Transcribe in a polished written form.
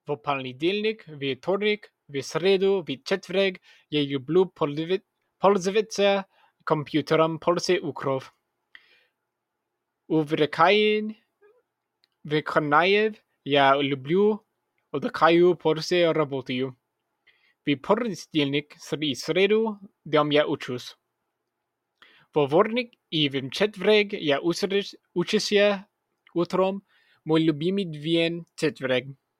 W poniedziałek, we wtorek, w środę, w czwartek ja lubię pользоваться komputerem Polsce Ukrów. Wykonania ja lubię odkażu Polsce работаю. W poniedziałek i środę dom ja uczусь. W wtorek i w czwartek ja uczę się utrом. Mój lubiony dzień czwartek.